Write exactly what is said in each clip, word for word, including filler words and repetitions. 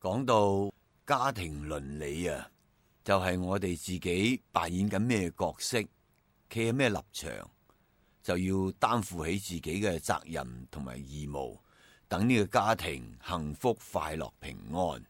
講到家庭倫理啊，就係我哋自己扮演緊咩角色，企喺咩立場，就要擔負起自己嘅責任同埋義務，等呢個家庭幸福快樂平安。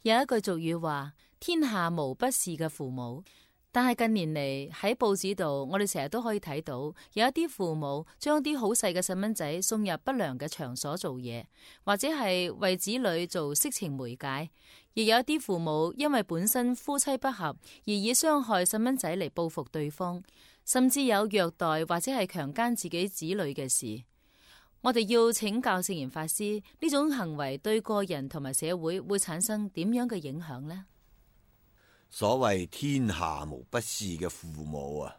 有一句俗語話，天下無不是嘅父母。但係近年嚟喺報紙度，我哋成日都可以睇到有一啲父母將啲好細嘅細蚊仔送入不良嘅場所做嘢，或者係為子女做色情媒介。亦有一啲父母因為本身夫妻不和，而以傷害細蚊仔嚟報復對方，甚至有虐待或者係強姦自己子女嘅事。我哋要請教聖嚴法師，呢種行為對個人同埋社會會產生點樣嘅影響呢？所謂天下無不是嘅父母啊，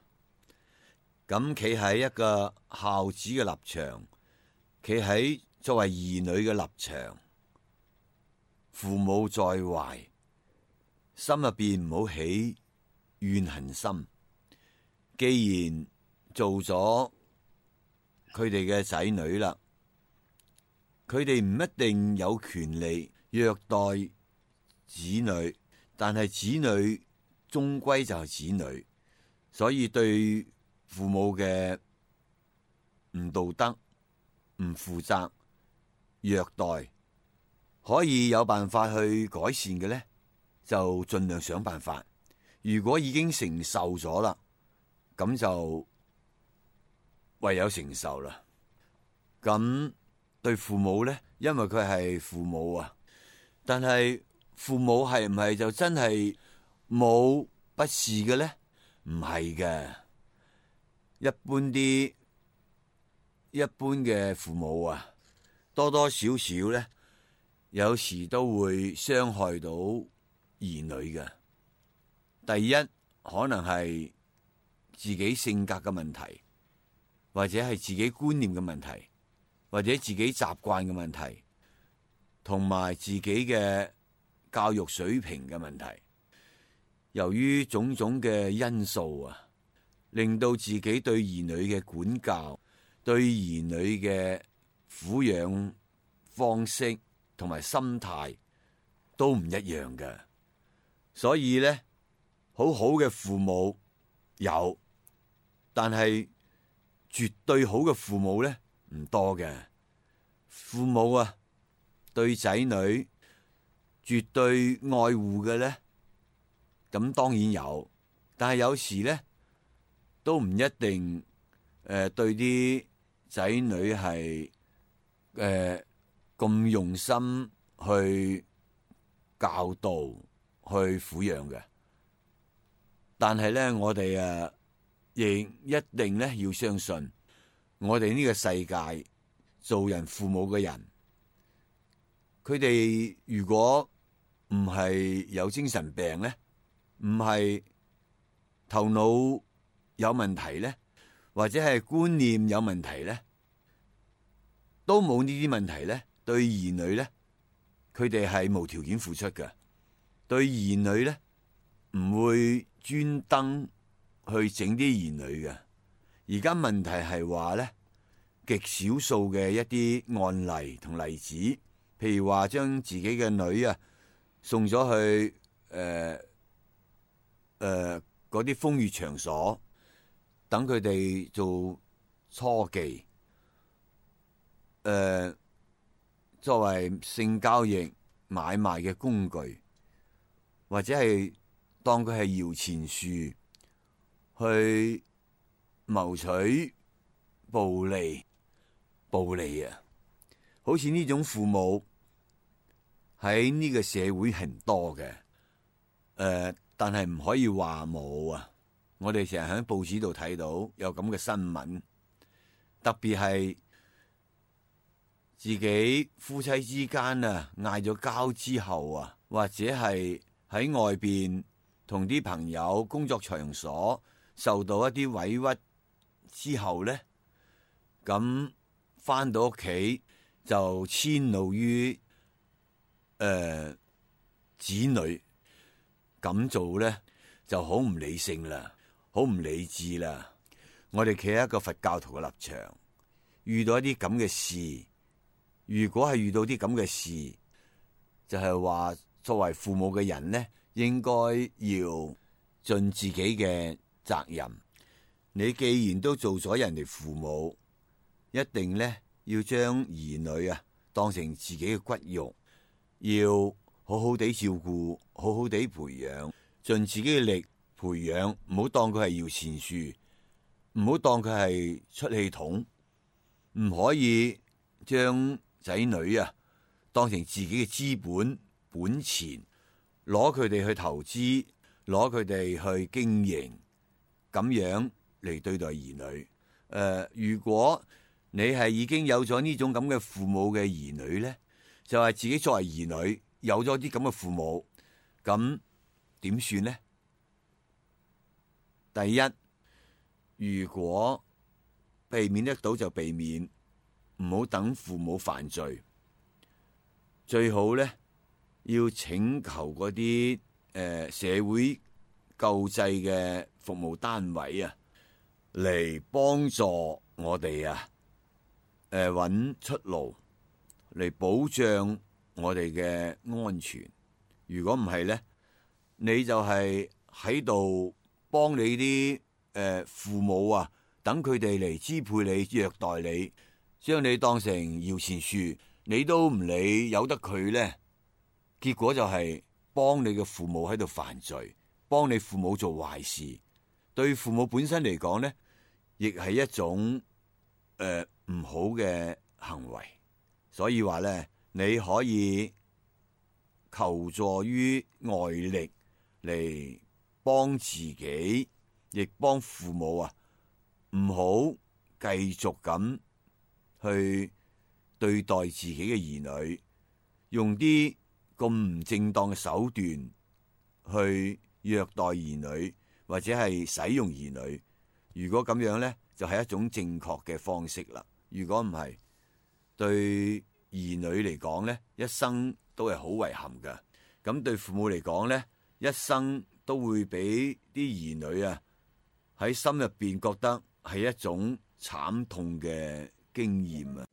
咁企喺一個孝子嘅立場，企喺作為兒女嘅立場，父母在懷，心入邊唔好起怨恨心。既然做咗佢哋嘅仔女啦，佢哋唔一定有權利虐待子女，但係子女終歸就係子女，所以對父母嘅唔道德、唔負責、虐待，可以有辦法去改善嘅呢，就盡量想辦法。如果已經承受咗啦，咁就唯有承受啦。咁對父母呢，因為佢係父母啊，但係父母係唔係就真係冇不是嘅呢？唔係嘅，一般啲一般嘅父母啊，多多少少呢，有時都會傷害到兒女嘅。第一，可能係自己性格嘅問題，或者係自己觀念嘅問題，或者自己習慣嘅問題，同埋自己嘅教育水平嘅問題。由於種種嘅因素啊，令到自己對兒女嘅管教、對兒女嘅撫養方式同埋心態都唔一樣嘅。所以呢，好好嘅父母有，但係絕對好嘅父母呢，唔多嘅。父母啊，對仔女絕對愛護嘅呢，咁當然有，但係有時呢，都唔一定誒、呃、對啲仔女係誒咁用心去教導、去撫養嘅。但係呢，我哋啊亦一定呢要相信，我哋呢個世界做人父母嘅人，佢哋如果唔係有精神病呢，唔係頭腦有問題呢，或者係觀念有問題呢，都冇呢啲問題呢，對兒女呢，佢哋係無條件付出嘅。對兒女呢，唔會專登去整啲兒女嘅。而家問題係話呢，極少數嘅一啲案例同例子，譬如話將自己嘅女啊送咗去誒誒嗰啲風月場所，等佢哋做初妓，誒、呃、作為性交易買賣嘅工具，或者係當佢係搖錢樹去謀取暴利，暴利啊！好似呢種父母喺呢個社會係唔多嘅，誒、呃，但係唔可以話冇啊！我哋成日喺報紙度睇到有咁嘅新聞，特別係自己夫妻之間啊嗌咗交之後啊，或者係喺外邊同啲朋友工作場所受到一啲委屈之後呢，咁翻到屋企就遷怒於誒、呃、子女，咁做呢就好唔理性啦，好唔理智啦。我哋企喺一個佛教徒嘅立場，遇到一啲咁嘅事，如果係遇到啲咁嘅事，就係話作為父母嘅人呢，應該要盡自己嘅責任。你既然都做咗人哋父母，一定呢要將兒女啊當成自己嘅骨肉，要好好地照顧，好好地培養，盡自己嘅力培養，唔好當佢係搖錢樹，唔好當佢係出氣筒，唔可以將仔女啊當成自己嘅資本本錢，攞佢哋去投資，攞佢哋去經營，咁樣嚟對待兒女。誒、呃，如果你係已經有咗呢種咁嘅父母嘅兒女呢，就係、是、自己作為兒女有咗啲咁嘅父母，咁點算呢？第一，如果避免得到就避免，唔好等父母犯罪，最好呢要請求嗰啲誒社會救濟嘅服務單位啊，嚟幫助我哋啊，誒揾出路嚟保障我哋嘅安全。如果唔係呢，你就係喺度幫你啲誒、呃、父母啊，等佢哋嚟支配你、虐待你，將你當成搖錢樹，你都唔理，由得佢呢。結果就係幫你嘅父母喺度犯罪，幫你父母做壞事，對父母本身嚟講呢，亦係一種誒唔好嘅行為。所以話呢，你可以求助於外力嚟幫自己，亦幫父母啊，唔好繼續咁去對待自己嘅兒女，用啲咁唔正當嘅手段去虐待兒女，或者係使用兒女。如果咁樣呢，就係一種正確嘅方式啦。如果唔係，對兒女嚟講呢，一生都係好遺憾噶。咁對父母嚟講呢，一生都會俾啲兒女啊喺心入邊覺得係一種慘痛嘅經驗啊。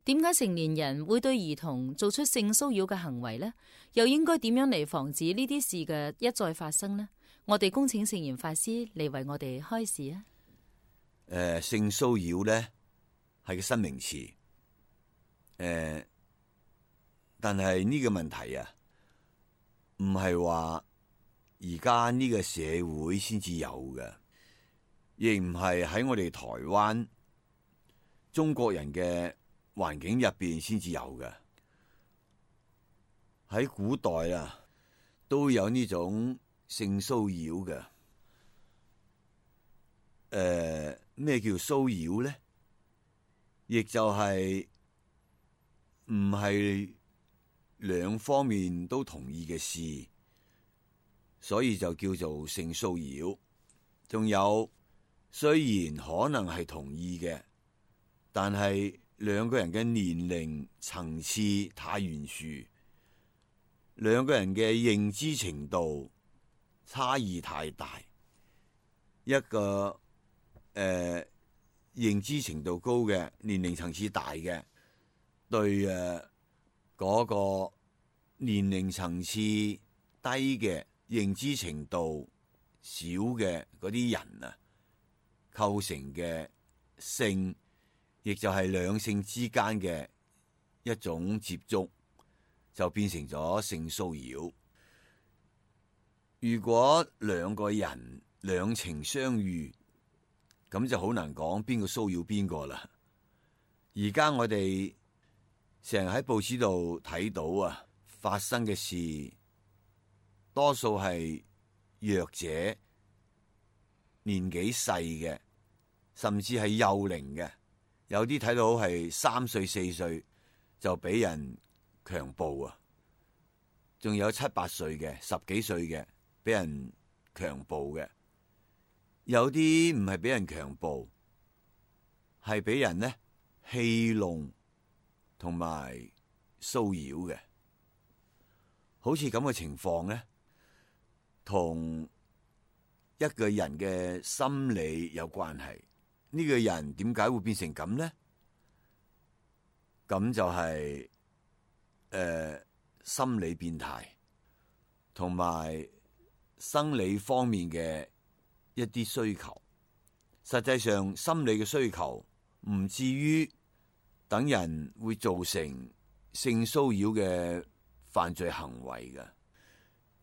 點解成年人會對兒童做出性騷擾嘅行為呢？又應該點樣嚟防止呢啲事嘅一再發生呢？我哋恭請聖嚴法師嚟為我哋開示啊！誒、呃，性騷擾呢係個新名詞，誒、呃，但係呢個問題啊，唔係話而家呢個社會先至有嘅，亦唔係喺我哋台灣中國人嘅環境入邊先至有嘅。喺古代啊，都有呢種性騷擾嘅。誒、呃，咩叫騷擾咧？亦就係唔係兩方面都同意嘅事，所以就叫做性騷擾。仲有，雖然可能係同意嘅，但係兩個人嘅年齡層次太懸殊，兩個人嘅認知程度差異太大。一個誒、呃、認知程度高嘅，年齡層次大嘅，對誒嗰、呃那個年齡層次低嘅、認知程度少嘅嗰啲人啊，構成嘅性，亦就係兩性之間嘅一種接觸，就變成咗性騷擾。如果兩個人兩情相悅，咁就好難講邊個騷擾邊個啦。而家我哋成日喺報紙度睇到啊，發生嘅事多數係弱者、年紀細嘅，甚至係幼齡嘅，有啲睇到係三歲四歲就俾人強暴啊，仲有七八歲嘅、十幾歲嘅俾人強暴嘅，有啲唔係俾人強暴，係俾人呢戲弄同埋騷擾嘅，好似咁嘅情況呢，同一個人嘅心理有關係。呢個人點解會變成咁呢？咁就係、是、誒、呃、心理變態，同埋生理方面嘅一啲需求。實際上，心理嘅需求唔至於等人會造成性騷擾嘅犯罪行為嘅，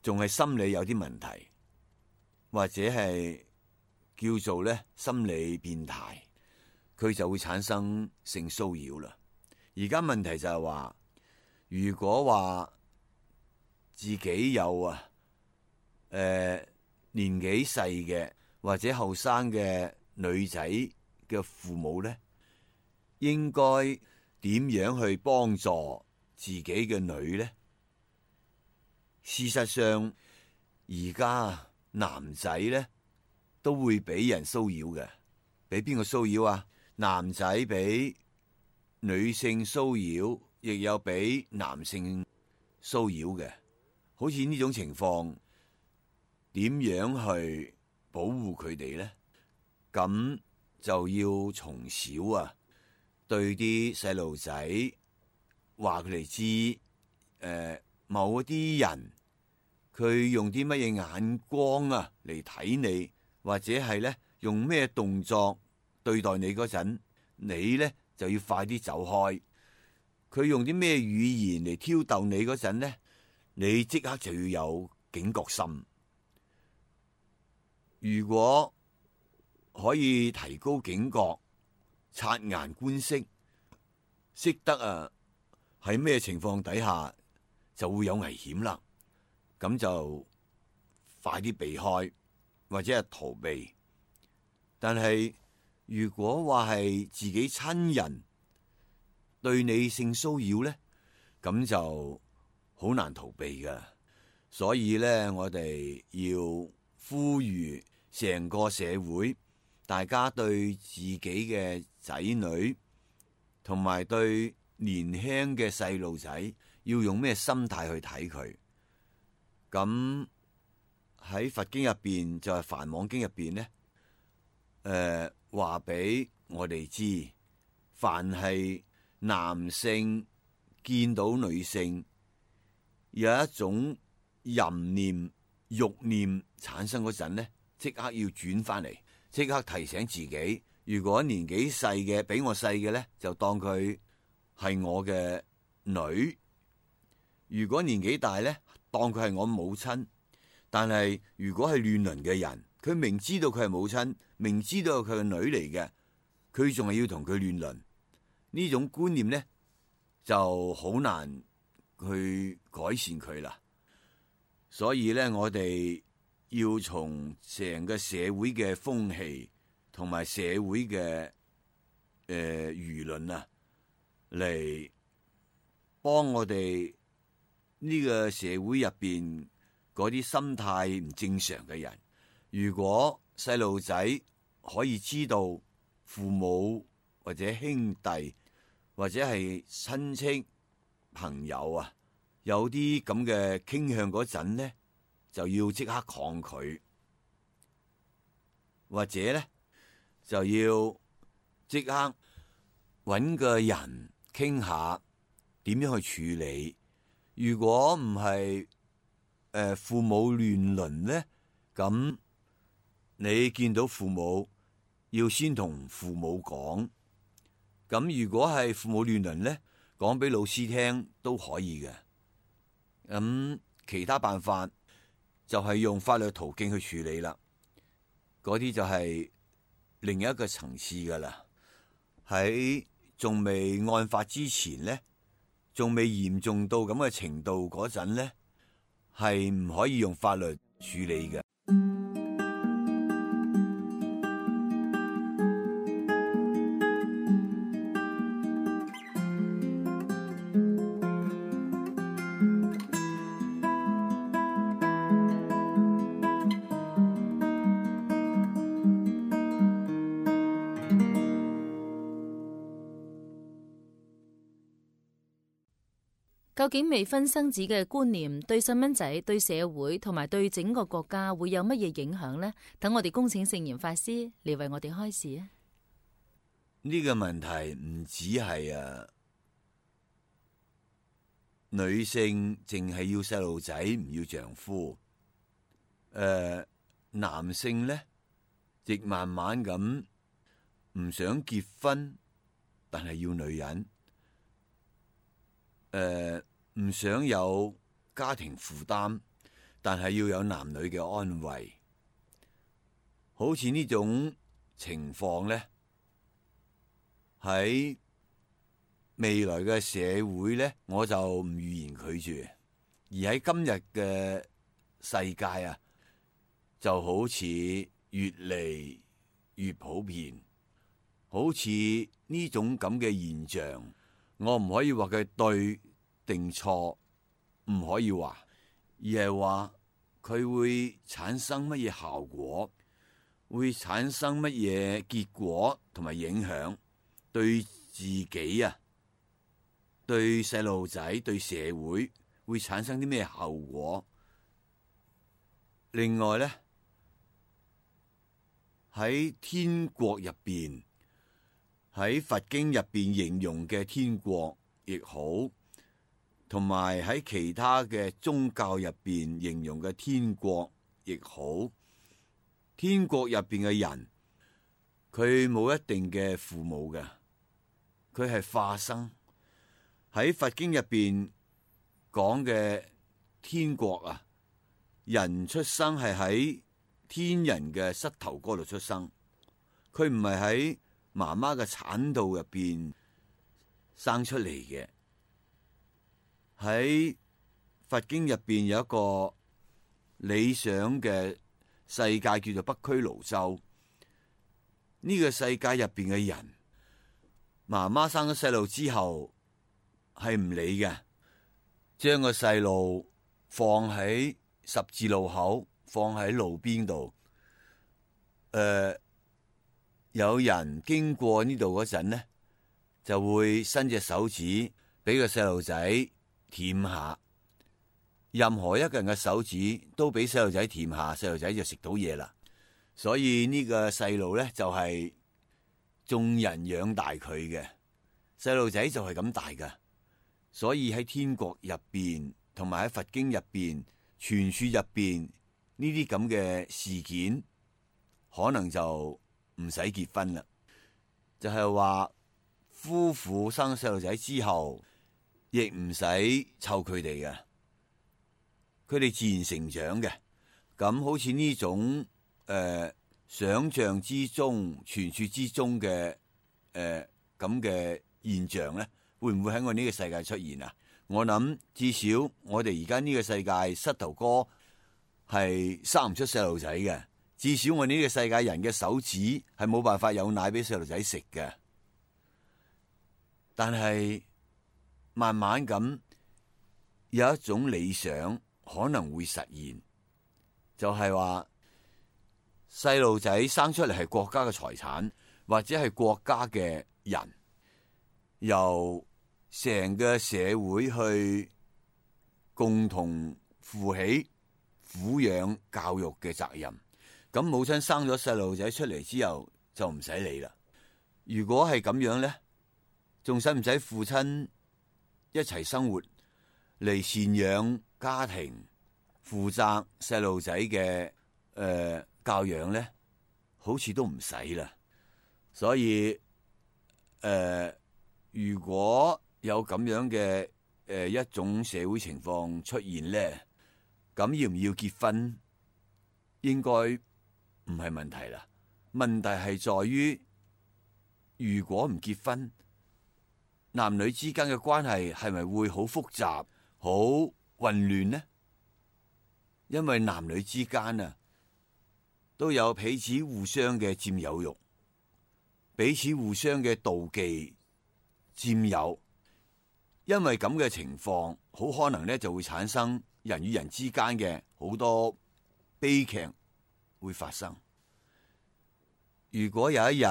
仲係心理有啲問題，或者係叫做咧心理變態，佢就會產生性騷擾啦。而家問題就係話，如果話自己有啊誒、呃、年紀細嘅或者後生嘅女仔嘅父母咧，應該點樣去幫助自己嘅女呢？事實上，而家男仔呢都會俾人騷擾嘅，俾邊個騷擾啊？男仔俾女性騷擾，亦有俾男性騷擾嘅。好似呢種情況，點樣去保護佢哋呢？咁就要從小啊，對啲細路仔話佢哋知，誒、呃，某一啲人佢用啲乜嘢眼光啊嚟睇你，或者係咧用咩動作對待你嗰陣，你咧就要快啲走開。佢用啲咩語言嚟挑逗你嗰陣咧，你即刻就要有警覺心。如果可以提高警覺，察言觀色，識得啊喺咩情況底下就會有危險啦，咁就快啲避開或者係逃避。但係如果話係自己親人對你性騷擾咧，咁就好難逃避噶。所以咧，我哋要呼籲成個社會，大家對自己嘅仔女同埋對年輕嘅細路仔要用咩心態去睇佢。咁喺佛經入邊就係、是、梵網經入邊呢，誒話俾我哋知，凡係男性見到女性有一種淫念、欲念產生嗰陣呢，即刻要轉翻嚟，即刻提醒自己，如果年紀細嘅比我細嘅呢，就當佢係我嘅女；如果年紀大呢，當佢係我母親。但係如果係亂倫嘅人，佢明知道佢係母親，明知道佢係女嚟嘅，佢仲係要同佢亂倫，呢種觀念呢就好難去改善佢啦。所以咧，我哋要從成個社會嘅風氣同埋社會嘅誒輿論啊，嚟幫我哋呢個社會入邊嗰啲心態唔正常嘅人。如果細路仔可以知道父母或者兄弟或者係親戚朋友啊，有啲咁嘅傾向嗰陣呢，就要即刻抗拒，或者咧就要即刻搵個人傾下點樣去處理。如果唔係誒父母亂倫咧，咁你見到父母要先同父母講。咁如果係父母亂倫咧，講俾老師聽都可以嘅。咁其他辦法就係用法律途徑去處理啦。嗰啲就係另一個層次噶啦。喺仲未案發之前咧，仲未嚴重到咁嘅程度嗰陣呢，係唔可以用法律處理嘅。究竟未婚生子嘅觀念對細蚊仔、對社會同埋對整個國家會有乜嘢影響呢？等我哋恭請聖嚴法師嚟為我哋開示啊！呢個問題唔止係啊，女性淨係要細路仔，唔要丈夫。誒、呃，男性呢，亦慢慢咁唔想結婚，但係要女人。誒、呃，唔想有家庭負擔，但係要有男女嘅安慰。好似呢種情況呢，喺未來嘅社會呢，我就唔預言佢住。而喺今日嘅世界啊，就好似越嚟越普遍。好似呢種咁嘅現象，我唔可以話佢對定錯，唔可以話，而係話佢會產生乜嘢效果，會產生乜嘢結果同埋影響，對自己啊，對細路仔，對社會會產生啲咩後果。另外呢，喺天國入邊，喺佛經入邊形容嘅天國亦好，同埋喺其他嘅宗教入邊形容嘅天國亦好，天國入邊嘅人，佢冇一定嘅父母嘅，佢係化生。喺佛經入邊講嘅天國啊，人出生係喺天人嘅膝頭哥度出生，佢唔係喺媽媽嘅產道入邊生出嚟嘅。喺佛經入邊有一個理想嘅世界叫做北俱盧洲。呢個世界入邊嘅人，媽媽生咗細路之後係唔理嘅，將個細路放喺十字路口，放喺路邊度。誒、呃，有人經過呢度嗰陣呢，就會伸隻手指俾個細路仔舔下。任何一個人嘅手指都俾細路仔舔下，細路仔就食到嘢啦。所以呢個細路呢，就係眾人養大佢嘅，細路仔就係咁大噶。所以喺天國入邊，同埋喺佛經入邊、傳說入邊呢啲咁嘅事件，可能就唔使結婚啦。就係話夫婦生細路仔之後，亦唔使湊佢哋嘅，佢哋自然成長嘅。咁好似呢種誒、呃、想象之中、傳說之中嘅誒咁嘅現象咧，會唔會喺我呢個世界出現啊？我諗至少我哋而家呢個世界膝頭哥係生唔出細路仔嘅，至少我呢個世界人嘅手指係冇辦法有奶俾細路仔食嘅。但係慢慢咁有一種理想可能會實現，就係話細路仔生出嚟係國家嘅財產，或者係國家嘅人，由成個社會去共同負起撫養教育嘅責任。咁母親生咗細路仔出嚟之後就唔使理啦。如果係咁樣咧，仲使唔使父親一齊生活嚟贍養家庭，負責細路仔嘅誒教養咧？好似都唔使啦。所以誒、呃，如果有咁樣嘅誒、呃、一種社會情況出現咧，咁要唔要結婚應該唔係問題啦。問題係在於，如果唔結婚，男女之間嘅關係係咪會好複雜、好混亂呢？因為男女之間啊，都有彼此互相嘅佔有欲，彼此互相嘅妒忌、佔有。因為咁嘅情況，好可能咧就會產生人與人之間嘅好多悲劇會發生。如果有一日，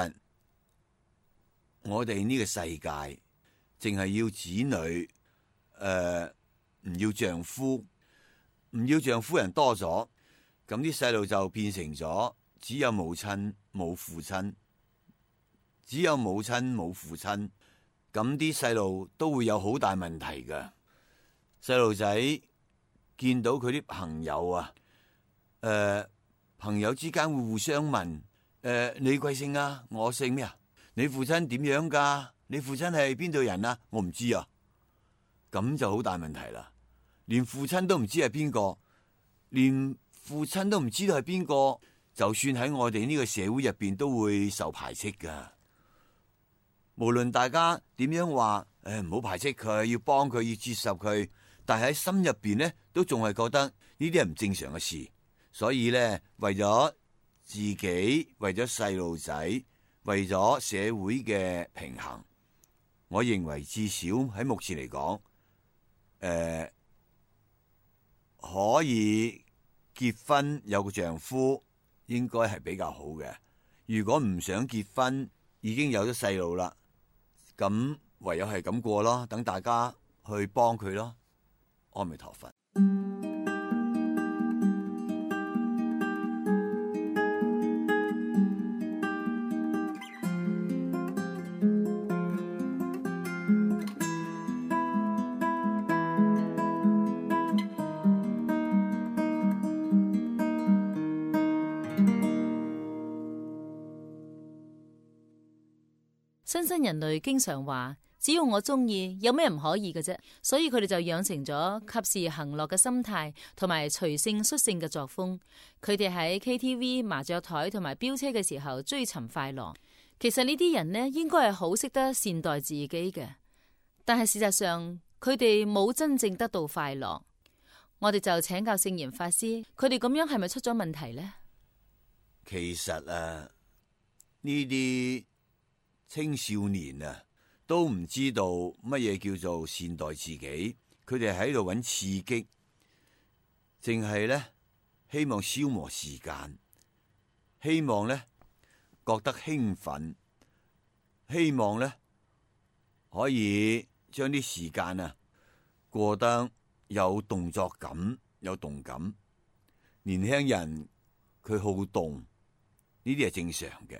我哋呢個世界淨係要子女，誒、呃、唔要丈夫，唔要丈夫人多咗，咁啲細路就變成咗只有母親冇父親，只有母親冇父親，咁啲細路都會有好大問題㗎。細路仔見到佢啲朋友啊，誒、呃、朋友之間會互相問，誒、呃、你貴姓啊？我姓咩啊？你父親點樣噶？你父親係邊度人啊？我唔知啊，咁就好大問題啦。連父親都唔知係邊個，連父親都唔知道係邊個，就算喺我哋呢個社會入邊都會受排斥噶。無論大家點樣話，誒唔好排斥佢，要幫佢，要接受佢，但係喺心入邊咧，都仲係覺得呢啲係唔正常嘅事。所以咧，為咗自己，為咗細路仔，為咗社會嘅平衡，我認為至少喺目前嚟講，誒、呃、可以結婚有個丈夫應該係比較好嘅。如果唔想結婚，已經有咗細路啦，咁唯有係咁過咯，等大家去幫佢咯。阿彌陀佛。新生人類經常話，只要我中意，有咩唔可以嘅啫？所以佢哋就養成咗及時行樂嘅心態，同埋隨性率性嘅作風。佢哋喺 K T V、麻雀台同埋飆車嘅時候追尋快樂。其實呢啲人呢，應該係好識得善待自己嘅，但係事實上佢哋冇真正得到快樂。我哋就請教聖嚴法師，佢哋咁樣係咪出咗問題呢？其實啊，呢啲青少年啊，都唔知道乜嘢叫做善待自己，佢哋喺度揾刺激，淨係咧希望消磨時間，希望咧覺得興奮，希望咧可以將啲時間啊過得有動作感、有動感。年輕人佢好動，呢啲係正常嘅。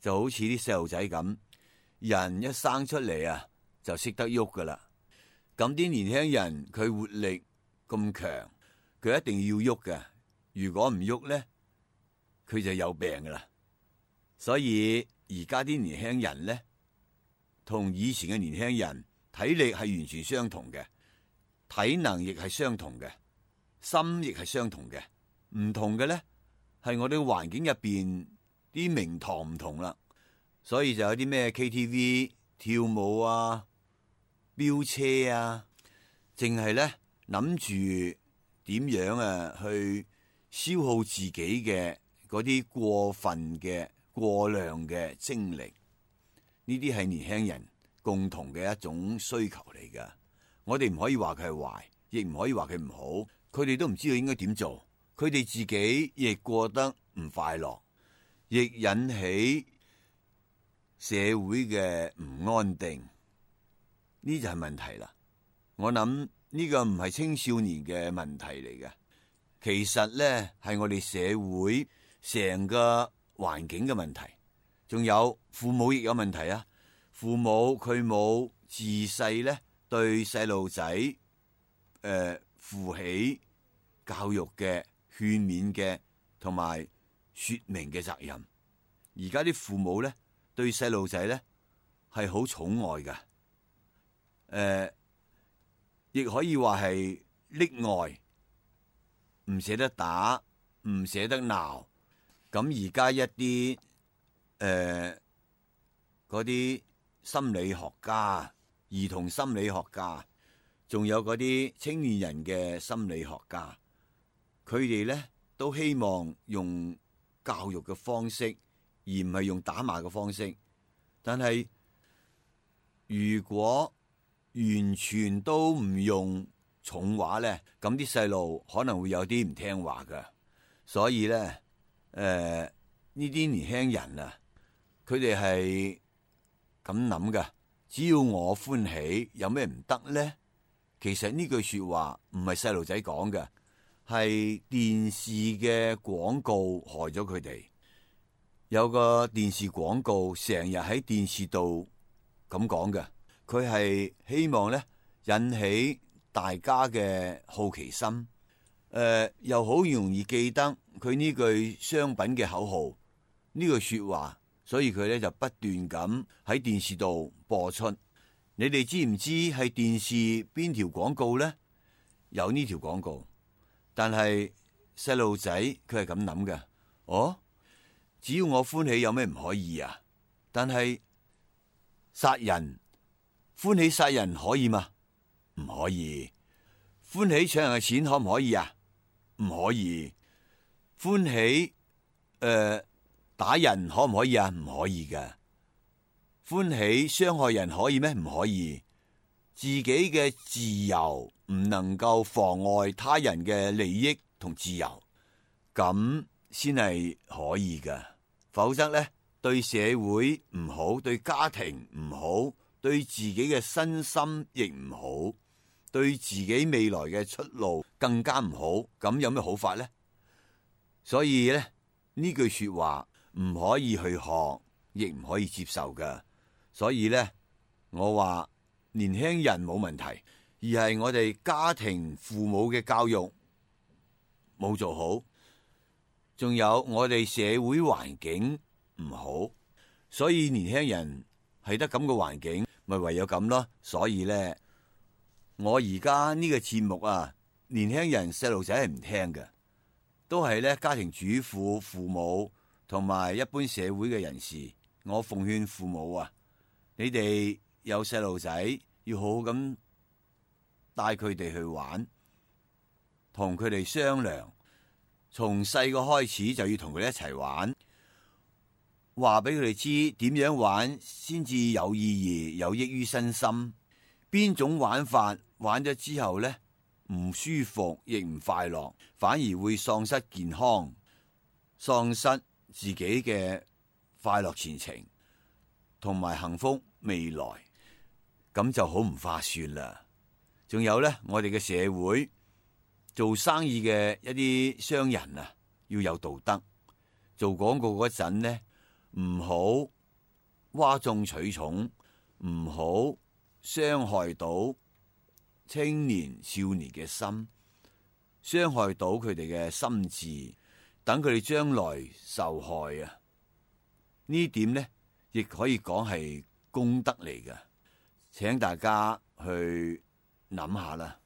就好似啲細路仔咁，人一生出嚟啊，就識得喐噶啦。咁啲年輕人佢活力咁強，佢一定要喐嘅。如果唔喐咧，佢就有病噶啦。所以而家啲年輕人咧，同以前嘅年輕人體力係完全相同嘅，體能亦係相同嘅，心亦係相同嘅。唔同嘅咧，係我哋環境入邊啲名堂唔同啦，所以就有啲咩 K T V 跳舞啊、飆車啊，淨係咧諗住點樣啊去消耗自己嘅嗰啲過分嘅過量嘅精力。呢啲係年輕人共同嘅一種需求嚟噶。我哋唔可以話佢係壞，亦唔可以話佢唔好。佢哋都唔知道應該點做，佢哋自己亦過得唔快樂，亦引起社會嘅唔安定，呢就係問題啦。我諗呢個唔係青少年嘅問題嚟嘅，其實咧係我哋社會成個環境嘅問題，仲有父母亦有問題啊。父母佢冇自細咧對細路仔誒負起教育嘅、勸勉嘅同埋說明嘅責任。而家啲父母咧對細路仔咧係好寵愛㗎，誒、呃，亦可以話係溺愛，唔捨得打，唔捨得鬧。咁而家一啲誒嗰啲心理學家兒童心理學家，仲有嗰啲青年人嘅心理學家，佢哋呢都希望用教育嘅方式，而唔係用打罵嘅方式。但係如果完全都唔用重話呢，咁啲細路可能會有啲唔聽話㗎。所以呢，誒呢啲年輕人啊，佢哋係咁諗㗎。只要我歡喜，有咩唔得呢？其實呢句說話唔係細路仔講嘅，係電視嘅廣告害咗佢哋。有個電視廣告成日喺電視度咁講嘅，佢係希望咧引起大家嘅好奇心，誒、呃、又好容易記得佢呢句商品嘅口號，呢句說話。所以佢咧就不斷咁喺電視度播出。你哋知唔知係電視邊條廣告呢？有呢條廣告，但係細路仔佢係咁諗嘅。哦，只要我歡喜，有咩唔可以啊？但係殺人，歡喜殺人可以嗎？唔可以。歡喜搶人嘅錢可唔可以啊？唔可以。歡喜誒。呃打人可唔可以啊？唔可以㗎。歡喜傷害人可以咩？唔可以。自己嘅自由唔能夠妨礙他人嘅利益同自由，咁先係可以㗎。否則呢，對社會唔好，對家庭唔好，對自己嘅身心亦唔好，對自己未來嘅出路更加唔好。咁有咩好法呢？所以呢，呢句說話唔可以去學，亦唔可以接受㗎。所以呢，我話年輕人冇問題，而係我哋家庭父母嘅教育冇做好，仲有我哋社會環境唔好，所以年輕人係得咁嘅環境，咪唯有咁咯。所以呢，我而家呢個節目啊，年輕人細路仔係唔聽嘅，都係咧家庭主婦、父母同埋一般社會嘅人士。我奉勸父母啊，你哋有細路仔要好好咁帶佢哋去玩，同佢哋商量，從細個開始就要同佢哋一齊玩，話俾佢哋知點樣玩先至有意義、有益於身心。邊種玩法玩咗之後呢，唔舒服亦唔快樂，反而會喪失健康，喪失自己嘅快樂前程同埋幸福未來，咁就好唔划算啦。仲有呢，我哋嘅社會做生意嘅一啲商人啊，要有道德。做廣告嗰陣呢，唔好嘩眾取寵，唔好傷害到青年少年嘅心，傷害到佢哋嘅心智，等佢哋將來受害啊！呢點呢，亦可以講係功德嚟㗎，請大家去諗下啦。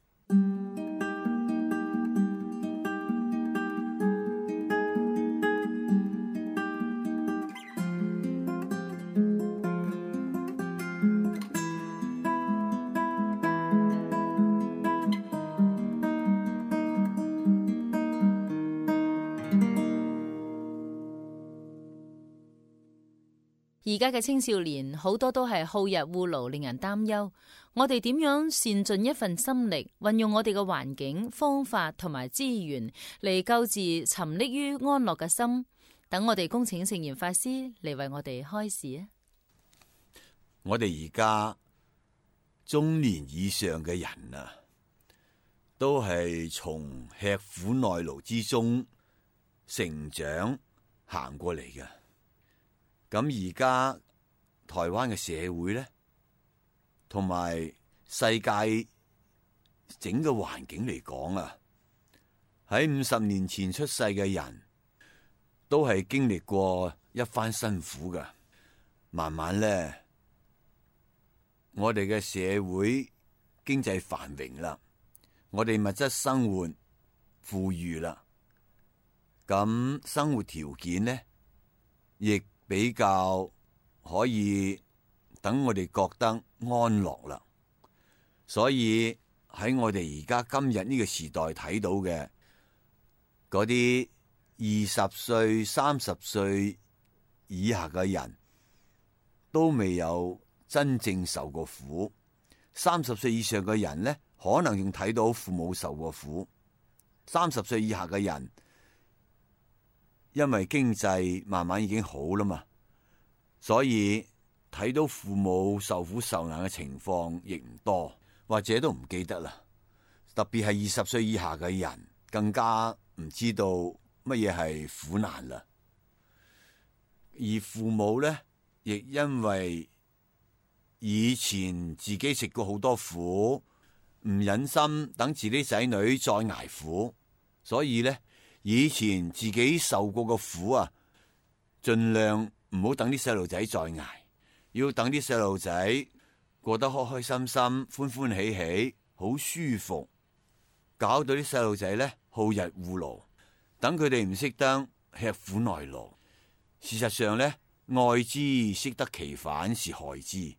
而家嘅青少年好多都係好逸惡勞，令人擔憂。我哋點樣善盡一份心力，運用我哋嘅環境、方法同埋資源嚟救治沉溺於安樂嘅心？等我哋恭請聖嚴法師嚟為我哋開示啊！我哋而家中年以上嘅人啊，都係從吃苦耐勞之中成長行過嚟嘅。咁而家台灣嘅社會咧，同埋世界整個環境嚟講啊，喺五十年前出世嘅人都係經歷過一番辛苦㗎。慢慢咧，我哋嘅社會經濟繁榮啦，我哋物質生活富裕啦，咁生活條件咧亦比較可以等我哋覺得安樂啦。所以喺我哋而家今日呢個時代睇到嘅嗰啲二十歲、三十歲以下嘅人，都未有真正受過苦。三十歲以上嘅人呢，可能仲睇到父母受過苦。三十歲以下嘅人，因為經濟慢慢已經好啦嘛，所以睇到父母受苦受難嘅情況亦唔多，或者都唔記得啦。特別係二十歲以下嘅人，更加唔知道乜嘢係苦難啦。而父母呢，亦因為以前自己食過好多苦，唔忍心等自己仔女再捱苦，所以呢，以前自己受過嘅苦啊，盡量唔好等啲細路仔再捱，要等啲細路仔過得開開心心、歡歡喜喜、好舒服，搞到啲細路仔呢，好逸惡勞，等佢哋唔識得吃苦耐勞。事實上呢，愛之識得其反是害之。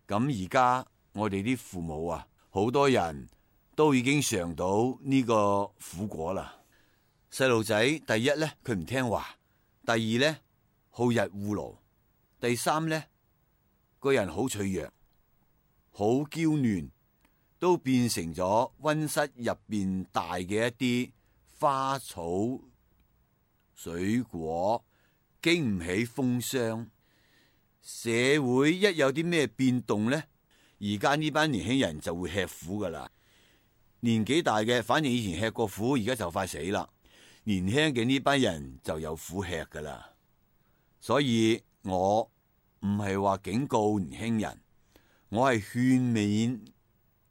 咁而家我哋啲父母啊，好多人都已經嘗到呢個苦果啦。細路仔第一呢，佢唔聽話；第二呢，好逸惡勞；第三呢，個人好脆弱、好嬌嫩，都變成咗溫室入邊大嘅一啲花草水果，經唔起風霜。社會一有啲咩變動呢，而家呢班年輕人就會吃苦噶啦。年紀大嘅，反正以前吃過苦，而家就快死啦。年輕嘅呢班人就有苦吃噶啦。所以我唔係話警告年輕人，我係勸勉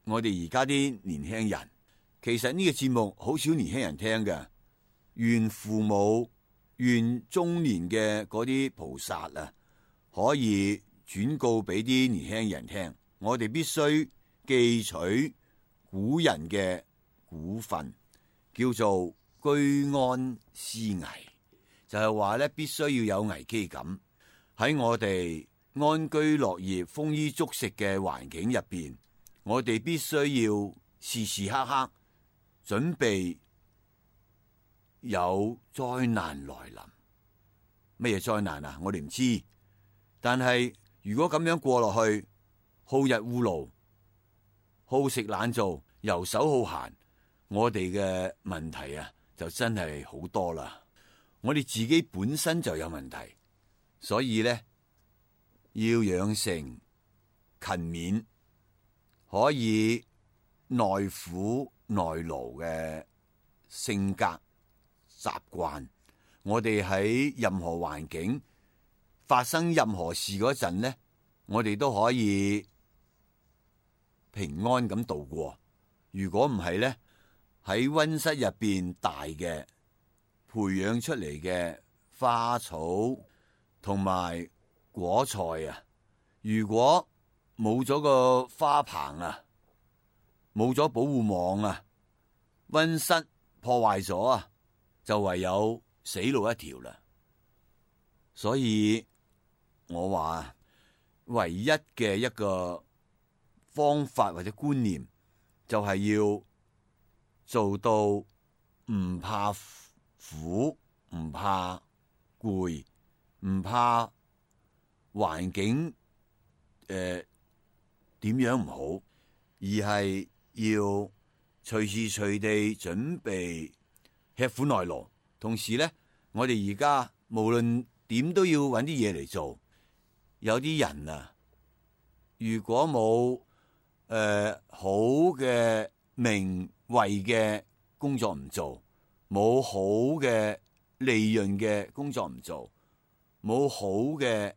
我哋而家啲年輕人。其實呢個節目好少年輕人聽嘅，願父母、願中年嘅嗰啲菩薩啊，可以轉告俾啲年輕人聽。我哋必須記取古人嘅古訓，叫做居安思危，就係話咧，必須要有危機感。喺我哋安居樂業、豐衣足食嘅環境入邊，我哋必須要時時刻刻準備有災難來臨。乜嘢災難啊？我哋唔知。但係如果咁樣過落去，好逸惡勞、好食懶做、遊手好閒，我哋嘅問題啊就真係好多啦。我哋自己本身就有問題，所以呢，要養成勤勉、可以耐苦耐勞嘅性格習慣。我哋喺任何環境發生任何事嗰陣呢，我哋都可以平安咁度過。如果唔係呢，喺溫室入邊大嘅培養出嚟嘅花草同埋果菜啊，如果冇咗個花棚啊，冇咗保護網啊，溫室破壞咗啊，就唯有死路一條啦。所以我話唯一嘅一個方法或者觀念，就係要做到唔怕苦、唔怕攰、唔怕環境誒點樣唔好，而係要隨時隨地準備吃苦耐勞。同時呢，我哋而家無論點都要揾啲嘢嚟做。有啲人啊，如果冇誒、呃、好嘅名位嘅工作唔做，冇好嘅利潤嘅工作唔做，冇好嘅誒、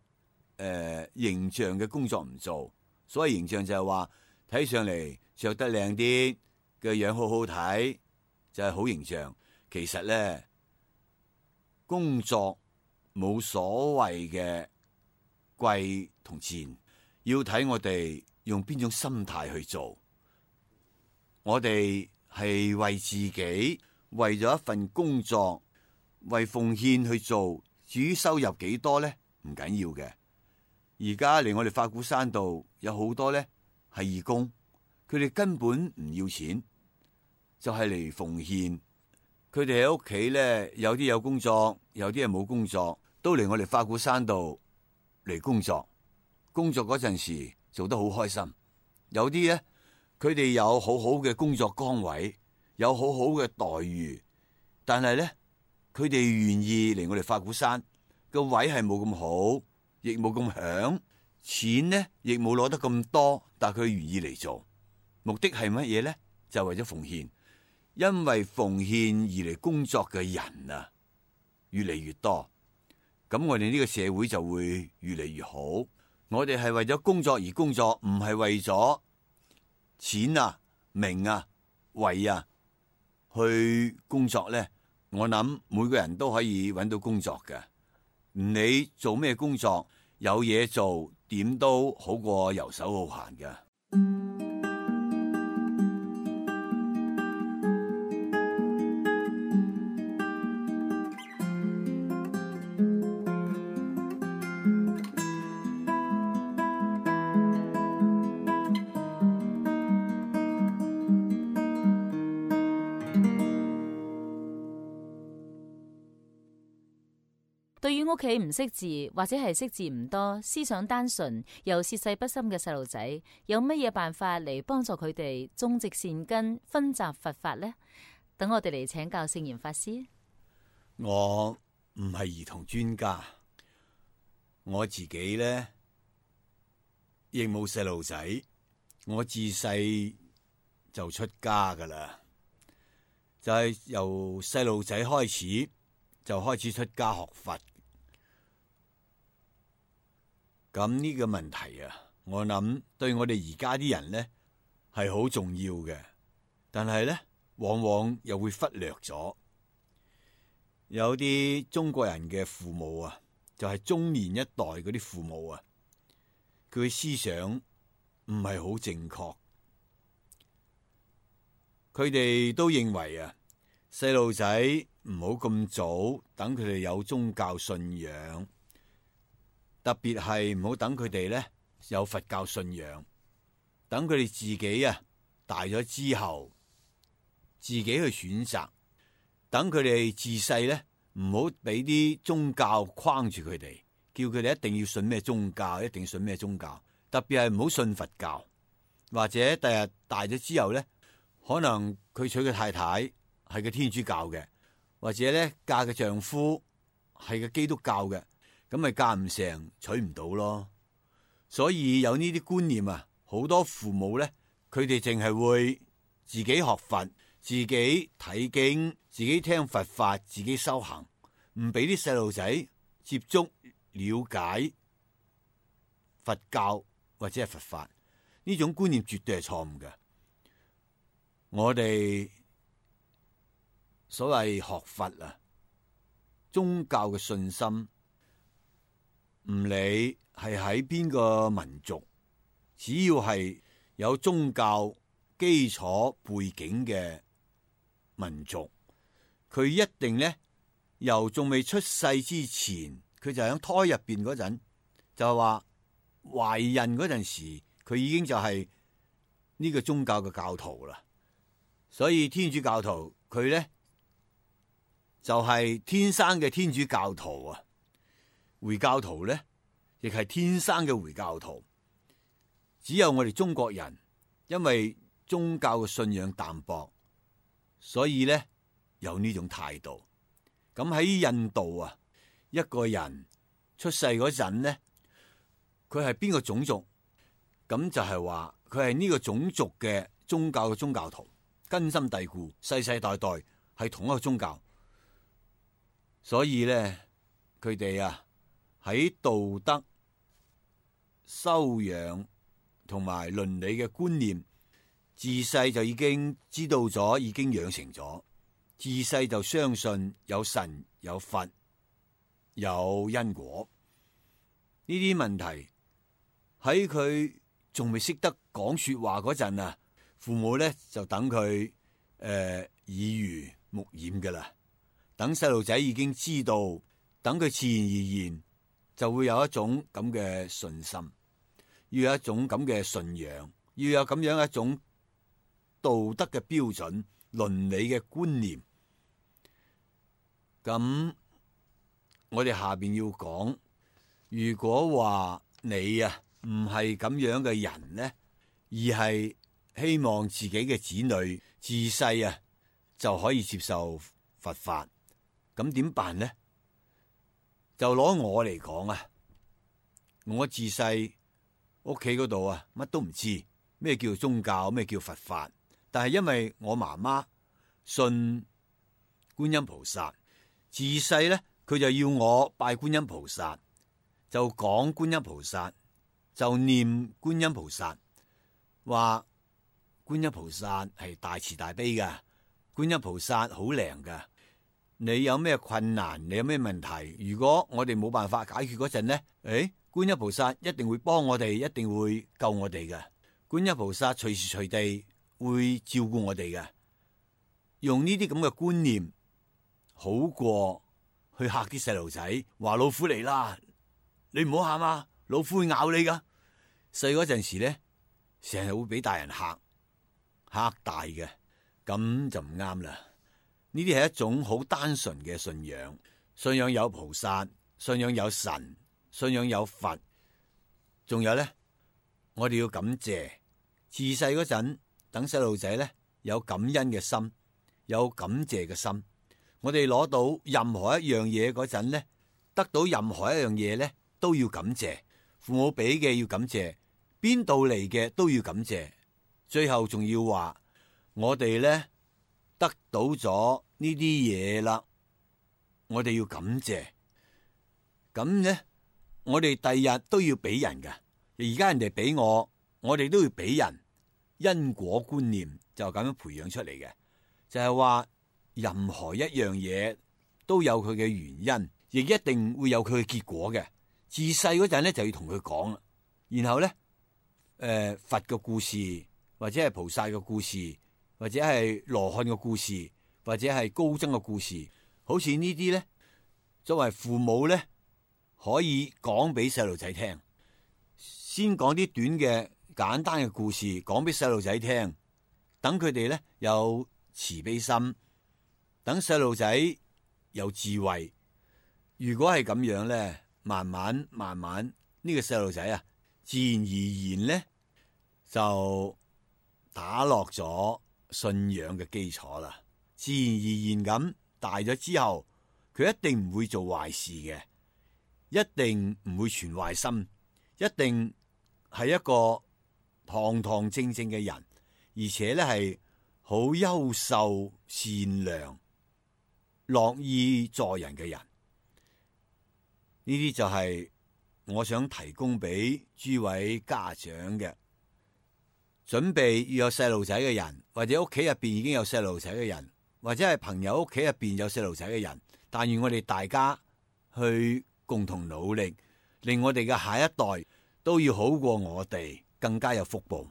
呃、形象嘅工作唔做。所謂形象就係話睇上嚟着得靚啲，嘅樣好好睇，就係、是、好形象。其實咧，工作冇所謂嘅貴同賤，要睇我哋用邊種心態去做。我哋係為自己，為咗一份工作，為奉獻去做。至於收入幾多呢？唔緊要嘅。而家嚟我哋法鼓山道有好多呢係義工，佢哋根本唔要錢，就係嚟奉獻。佢哋喺屋企咧，有啲有工作，有啲係冇工作，都嚟我哋法鼓山度嚟工作。工作嗰陣時做得好開心。有啲咧，佢哋有好好嘅工作崗位，有好好嘅待遇，但係咧，佢哋願意嚟我哋法鼓山，個位係冇咁好，亦冇咁響，錢咧亦冇攞得咁多，但係佢願意嚟做。目的係乜嘢咧？就係為咗奉獻。因為奉獻而嚟工作嘅人啊，越嚟越多，咁我哋呢個社會就會越嚟越好。我哋係為咗工作而工作，唔係為咗錢啊、名啊、位啊去工作咧。我諗每個人都可以揾到工作嘅，唔理做咩工作，有嘢做點都好過游手好閒嘅。對於屋企唔識字或者係識字唔多、思想單純又涉世不深嘅細路仔，有乜嘢辦法嚟幫助佢哋種植善根、熏習佛法呢？等我哋嚟請教聖嚴法師。我唔係兒童專家，我自己咧亦冇細路仔，我自細就出家噶啦，就係由細路仔開始就開始出家學佛。咁呢個問題啊，我諗對我哋而家啲人咧係好重要嘅，但係咧往往又會忽略咗。有啲中國人嘅父母啊，就係中年一代嗰啲父母啊，佢嘅思想唔係好正確，佢哋都認為啊，細路仔唔好咁早等佢哋有宗教信仰。特別係唔好等佢哋咧有佛教信仰，等佢哋自己啊大咗之後，自己去選擇。等佢哋自細咧唔好俾啲宗教框住佢哋，叫佢哋一定要信咩宗教，一定要信咩宗教。特別係唔好信佛教，或者第日大咗之後咧，可能佢娶嘅太太係個天主教嘅，或者咧嫁嘅丈夫係個基督教嘅。咁咪嫁唔成，娶唔到咯。所以有呢啲觀念啊，好多父母咧，佢哋淨係會自己學佛，自己睇經，自己聽佛法，自己修行，唔俾啲細路仔接觸了解佛教或者係佛法。呢種觀念絕對係錯誤嘅。我哋所謂學佛啊，宗教嘅信心，唔理係喺邊個民族，只要係有宗教基礎背景嘅民族，佢一定咧由仲未出世之前，佢就喺胎入邊嗰陣，就係話懷孕嗰陣時，佢已經就係呢個宗教嘅教徒啦。所以天主教徒佢咧就係、是、天生嘅天主教徒啊。回教徒咧，亦係天生嘅回教徒。只有我哋中國人，因為宗教嘅信仰淡薄，所以咧有呢種態度。咁喺印度啊，一個人出世嗰陣咧，佢係邊個種族，咁就係話佢係呢個種族嘅宗教嘅宗教徒，根深蒂固，世世代代係同一個宗教。所以咧，佢哋啊，喺道德修養同埋倫理嘅觀念，自細就已經知道咗，已經養成咗。自細就相信有神、有佛、有因果。呢啲問題喺佢仲未識得講說話嗰陣啊，父母咧就等佢誒耳濡目染噶啦。等細路仔已經知道，等佢自然而然就會有一種咁嘅信心，要有一種咁嘅信仰，要有咁樣一種道德嘅標準、倫理嘅觀念。咁我哋下邊要講，如果話你啊唔係咁樣嘅人呢，而係希望自己嘅子女自細啊就可以接受佛法，咁點辦呢？就攞我嚟講啊，我自細屋企嗰度啊乜都唔知咩叫宗教，咩叫佛法，但係因為我媽媽信觀音菩薩，自細咧佢就要我拜觀音菩薩，就講觀音菩薩，就念觀音菩薩，話觀音菩薩係大慈大悲噶，觀音菩薩好靈噶。你有咩困難，你有咩問題，如果我哋冇辦法解決嗰陣呢，誒，觀音菩薩一定會幫我哋，一定會救我哋嘅。觀音菩薩隨時隨地會照顧我哋嘅。用呢啲咁嘅觀念，好過去嚇啲細路仔，話老虎嚟啦，你唔好喊啊，老虎會咬你噶。細嗰陣時咧，成日會俾大人嚇嚇大嘅，咁就唔啱啦。呢啲係一種好單純嘅信仰，信仰有菩薩，信仰有神，信仰有佛，仲有咧，我哋要感謝。自細嗰陣，等細路仔咧有感恩嘅心，有感謝嘅心。我哋攞到任何一樣嘢嗰陣咧，得到任何一樣嘢咧，都要感謝。父母俾嘅要感謝，邊度嚟嘅都要感謝。最後仲要話，我哋咧得到咗呢啲嘢啦，我哋要感謝。咁咧，我哋第日都要俾人㗎。而家人哋俾我，我哋都要俾人。因果觀念就咁樣培養出嚟嘅，就係話任何一樣嘢都有佢嘅原因，亦一定會有佢嘅結果嘅。自細嗰陣咧就要同佢講啦，然後咧，誒、呃、佛嘅故事，或者係菩薩嘅故事，或者係羅漢嘅故事，或者係高僧嘅故事，好似呢啲咧，作為父母咧可以講俾細路仔聽，先講啲短嘅簡單嘅故事講俾細路仔聽，等佢哋咧有慈悲心，等細路仔有智慧。如果係咁樣咧，慢慢慢慢呢個細路仔啊，自然而然咧就打落咗信仰嘅基礎啦。自然而然咁大咗之後，佢一定唔會做壞事嘅，一定唔會存壞心，一定係一個堂堂正正嘅人，而且咧係好優秀、善良、樂意助人嘅人。呢啲就係我想提供俾諸位家長嘅，準備要有細路仔嘅人，或者屋企入邊已經有細路仔嘅人，或者係朋友屋企入邊有細路仔嘅人，但願我哋大家去共同努力，令我哋嘅下一代都要好過我哋，更加有福報。